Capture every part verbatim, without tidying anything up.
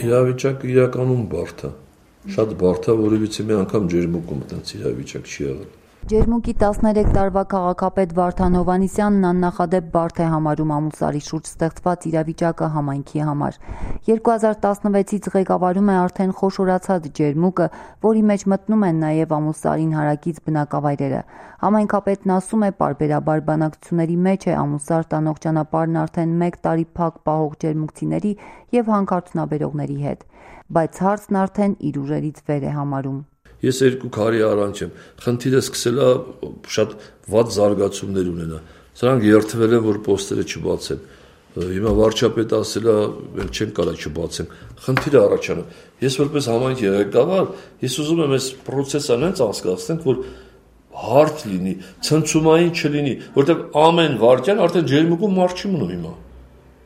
Իրավիճակը իրականում բարդ է։ Շատ բարդ է, որովհետեւ մի անգամ ջերմուկում այդպես իրավիճակ չի եղել։ Ջերմուկի տասներեք տարվա քաղաքապետ Վարդան Հովհաննիսյանն աննախադեպ բարդ է համարում Ամուլսարի շուրջ ստեղծված իրավիճակը համայնքի համար։ երկու հազար տասնվեցից ղեկավարում է արդեն խոշորացած ջերմուկը, որի մեջ մտնում են նաև Ամուլսարին հարակից բնակավայրերը։ Համայնքապետն ասում է, պարբերաբար բանակցությունների մեջ է Ամուլսար տանող ճանապարհն արդեն մեկ տարի փակ պահող ջերմուկցիների եւ հանքարդյունաբերողների հետ, բայց հարցն արդեն իր ուժերից վեր է համարում։ Ես երկու քարի առանց եմ, խնդիրը սկսել է շատ վատ զարգացումներ ունենա։ Սրանք երթվել են, որ պոստերը չբացեն։ Հիմա վարչապետը ասել է, մենք չենք կարող չբացենք։ Խնդիրը առաջանում։ Ես որպես համայնքի ղեկավար, ես ուզում եմ այս process-ը այնց անցկացնենք, որ հարթ լինի, ցնցումային չլինի, որտեղ ամեն վարքյան արդեն ջերմուկում մարդ չի մնում հիմա։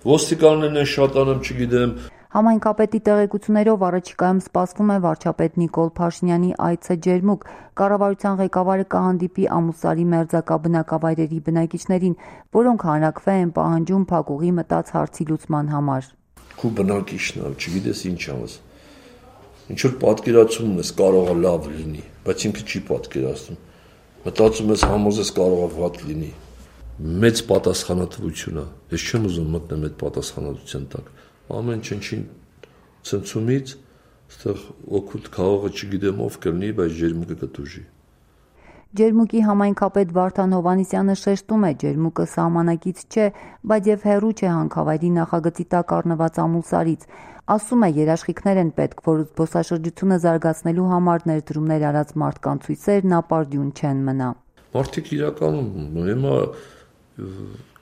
Ոստիկաններն են շատանում, չգիտեմ։ Համայնքապետի տեղեկություններով առաջիկայում սպասվում է վարչապետ Նիկոլ Փաշինյանի այցը ջերմուկ։ Կառավարության ղեկավարը կհանդիպի Ամուլսարի մերձակա բնակավայրերի բնակիչներին, որոնք հանրակրվե են պահանջում փակուղի մտած հարցի լուծման համար։ Քու բնակիչն է, չգիտես ինչ անես։ Ինչ որ պատկերացում ես կարող է լավ լինի, բայց ինքը չի պատկերացնում։ Մտածում ես համոզես կարող է վատ լինի։ Մեծ պատասխանատվություն է։ Ես չեմ ուզում մտնեմ այդ պատասխանատվության տակ։ Ամեն ինչին ցնցումից, այստեղ օգուտ քաղաքը չգիտեմ ով կլինի, բայց ջերմուկը կտուժի։ Ջերմուկի համայնքապետ Վարդան Հովհաննիսյանը շեշտում է, ջերմուկը սահմանակից չէ, բայց եւ հեռու չէ հանքավայրի նախագծի տակ առնված Ամուլսարից։ Ասում է, երաշխիքներ են պետք, որ զբոսաշրջությունը զարգացնելու համար ներդրումներ արած մարդկանց ցույցերն ապարդյուն չեն մնա։ Մարդիկ իրականում հիմա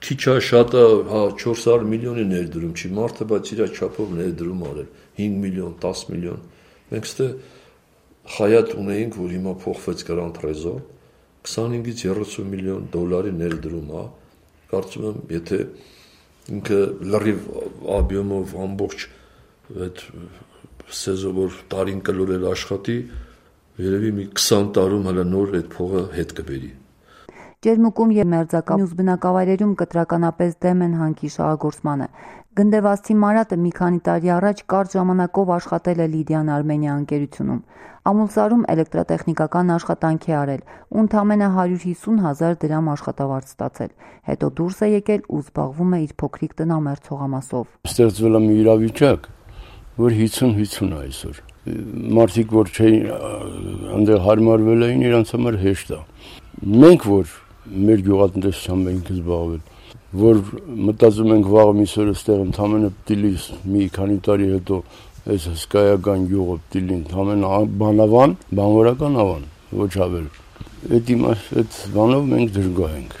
քիչ է շատը, հա չորս հարյուր միլիոնի ներդրում չի, մարդը բայց իր չափով ներդրում արել, հինգ միլիոն, տաս միլիոն։ Մենք ստե խայատ ունեինք, որ հիմա փոխվեց Grand Trésor, քսանհինգից երեսուն միլիոն դոլարի ներդրում է։ Կարծում եմ, եթե ինքը լրիվ աբյոմով ամբողջ այդ սեզոնով տարին կլորել աշխատի, երևի մի քսան տարում հələ նոր այդ փողը հետ կբերի։ Ջերմուկում եւ մերձակա մյուս բնակավայրերում կտրականապես դեմ են հանքի շահագործմանը։ Գնդեվացի Մարատը մի քանի տարի առաջ կարճ ժամանակով աշխատել է Լիդիան Արմենիա ընկերությունում։ Ամուլսարում էլեկտրատեխնիկական աշխատանք է արել ու ընդամենը հարյուր հիսուն հազար դրամ աշխատավարձ ստացել։ Հետո դուրս է եկել ու զբաղվում է իր փոքրիկ տնամերձ հողամասով։ Ստեղծվել է մի իրավիճակ, որ հիսուն հիսուն է այսօր։ Մարդիկ, որ չէին այնտեղ հարմարվել էին, իրանց համար հեշտ է։ Մենք որ մեր գյուղատնտեսությամբ ենք զբաղվել, որ մտածում ենք վաղ միսօր այստեղ ընդամենը դիլիս մի քանի տարի հետո այս հսկայական գյուղը դիլի ընդամենը բանավան, բանվորական ավան, ոչ ավել։ Այդ իմաստ այդ բանով մենք դժգոհ ենք։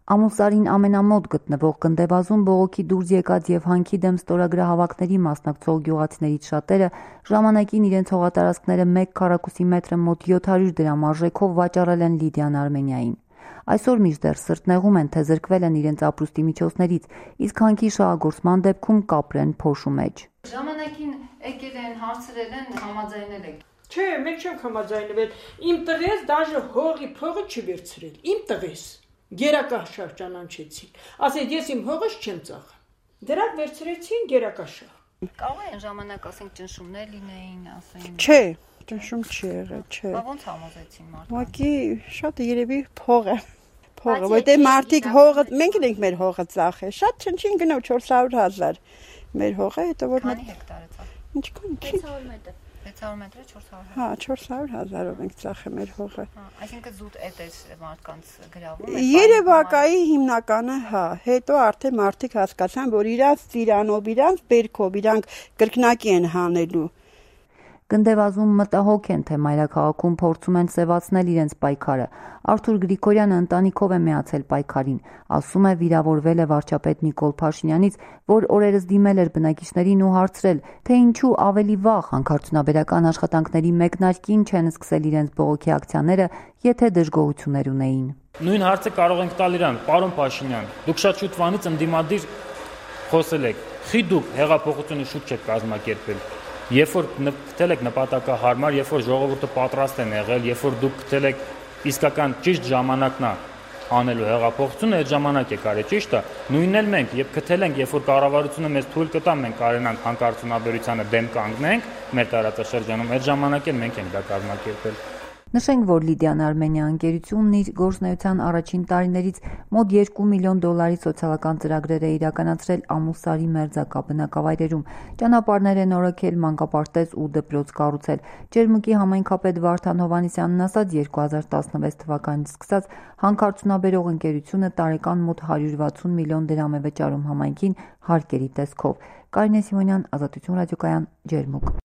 Ամուլսարին ամենամոտ գտնվող Գնդեվազում բողոքի դուրս եկած եւ հանքի դեմ ստորագրահավաքների մասնակցող գյուղացիներից շատերը ժամանակին իրենց հողատարածքները մեկ քառակուսի մետրը մոտ յոթ հարյուր դրամ արժեքով վաճառել են Լիդիան Արմենիային։ Այսօր մինչդեռ սրտնեղում են, թե զրկվել են իրենց ապրուստի միջոցներից, իսկ հանքի շահագործման դեպքում կապրեն փոշու մեջ։ Ժամանակին եկել են, հարցրել են, համաձայնել եք։ Չէ, մենք չենք համաձայնվել։ Իմ տղես դաժե հողի փողը չի վերցրել։ Իմ տղես գերակաշար ճանաչեցին։ Ասեց, ես իմ հողս չեմ ծախ։ Դրանք վերցրեցին գերակաշար։ Կարող են ժամանակ ասենք ճնշումներ լինեին, ասեն։ Չէ, ճնշում չի եղել, չէ։ Բա ոնց համոզեցին մարդկանց։ Ուղղակի շատ երևի փողը, փողը, որտեղ մարդիկ հողը, մենք ենք մեր հողը ծախել, շատ չնչին գնով չորս հարյուր հազար մեր հողը, հետո որ Քանի հեկտար է ծախել։ Ինչքան չի։ վեց հարյուր մետր։ վեց հարյուր մետրը չորս հարյուր։ Հա, չորս հարյուր հազարով ենք ծախել մեր հողը։ Հա, այսինքն զուտ էդ է մարդկանց գրավում։ Երևակայի հիմնականը, հա, հետո արդեն մարդիկ հասկացան, որ իրանց ծիրանով, իրանց բերքով, իրանք կրկնակի են հանելու։ Գնդեվազում մտահոգ են, թե մայրաքաղաքում փորձում են սևացնել իրենց պայքարը։ Արթուր Գրիգորյանը ընտանիքով է միացել պայքարին, ասում է վիրավորվել է վարչապետ Նիկոլ Փաշինյանից, որ օրերս դիմել էր բնակիչներին ու հարցրել, թե ինչու ավելի վաղ հանքարդյունաբերական աշխատանքների մեկնարկին չեն սկսել իրենց բողոքի ակցիաները, եթե դժգոհություններ ունեին։ Նույն հարցը կարող ենք տալ իրան, պարոն Փաշինյան, դուք շատ շուտվանից ընդդիմադիր խոսել եք, խի դուք հեղափոխությունը շուտ չեք կազմակերպել։ Երբ որ գտել եք նպատակահարմար, երբ որ ժողովուրդը պատրաստ են եղել, երբ որ դուք գտել եք իսկական ճիշտ ժամանակն է անելու հեղափոխությունը այդ ժամանակ է կարելի, ճիշտ է։ Նույնն էլ մենք, երբ գտել ենք, երբ որ կառավարությունը մեզ թույլ կտա, մենք կարենանք հանքարդյունաբերությանը դեմ կանգնենք մեր տարածաշրջանում, այդ ժամանակ էլ մենք ենք դա կազմակերպել։ Նշենք, որ Լիդիան Արմենիա ընկերությունն իր գործունեության առաջին տարիներից մոտ երկու միլիոն դոլարի սոցիալական ծրագրեր է իրականացրել Ամուլսարի մերձակա բնակավայրերում, ճանապարհներ է նորոգել, մանկապարտեզ ու դպրոց կառուցել։ Ջերմուկի համայնքապետ Վարդան Հովհաննիսյանն ասաց, երկու հազար տասնվեց թվականից սկսած հանքարդյունաբերող ընկերությունը տարեկան մոտ հարյուր վաթսուն միլիոն դրամ է վճարում համայնքին հարկերի տեսքով։ Կարինե Սիմոնյան, Ազատություն ռադիոկայան, Ջերմուկ։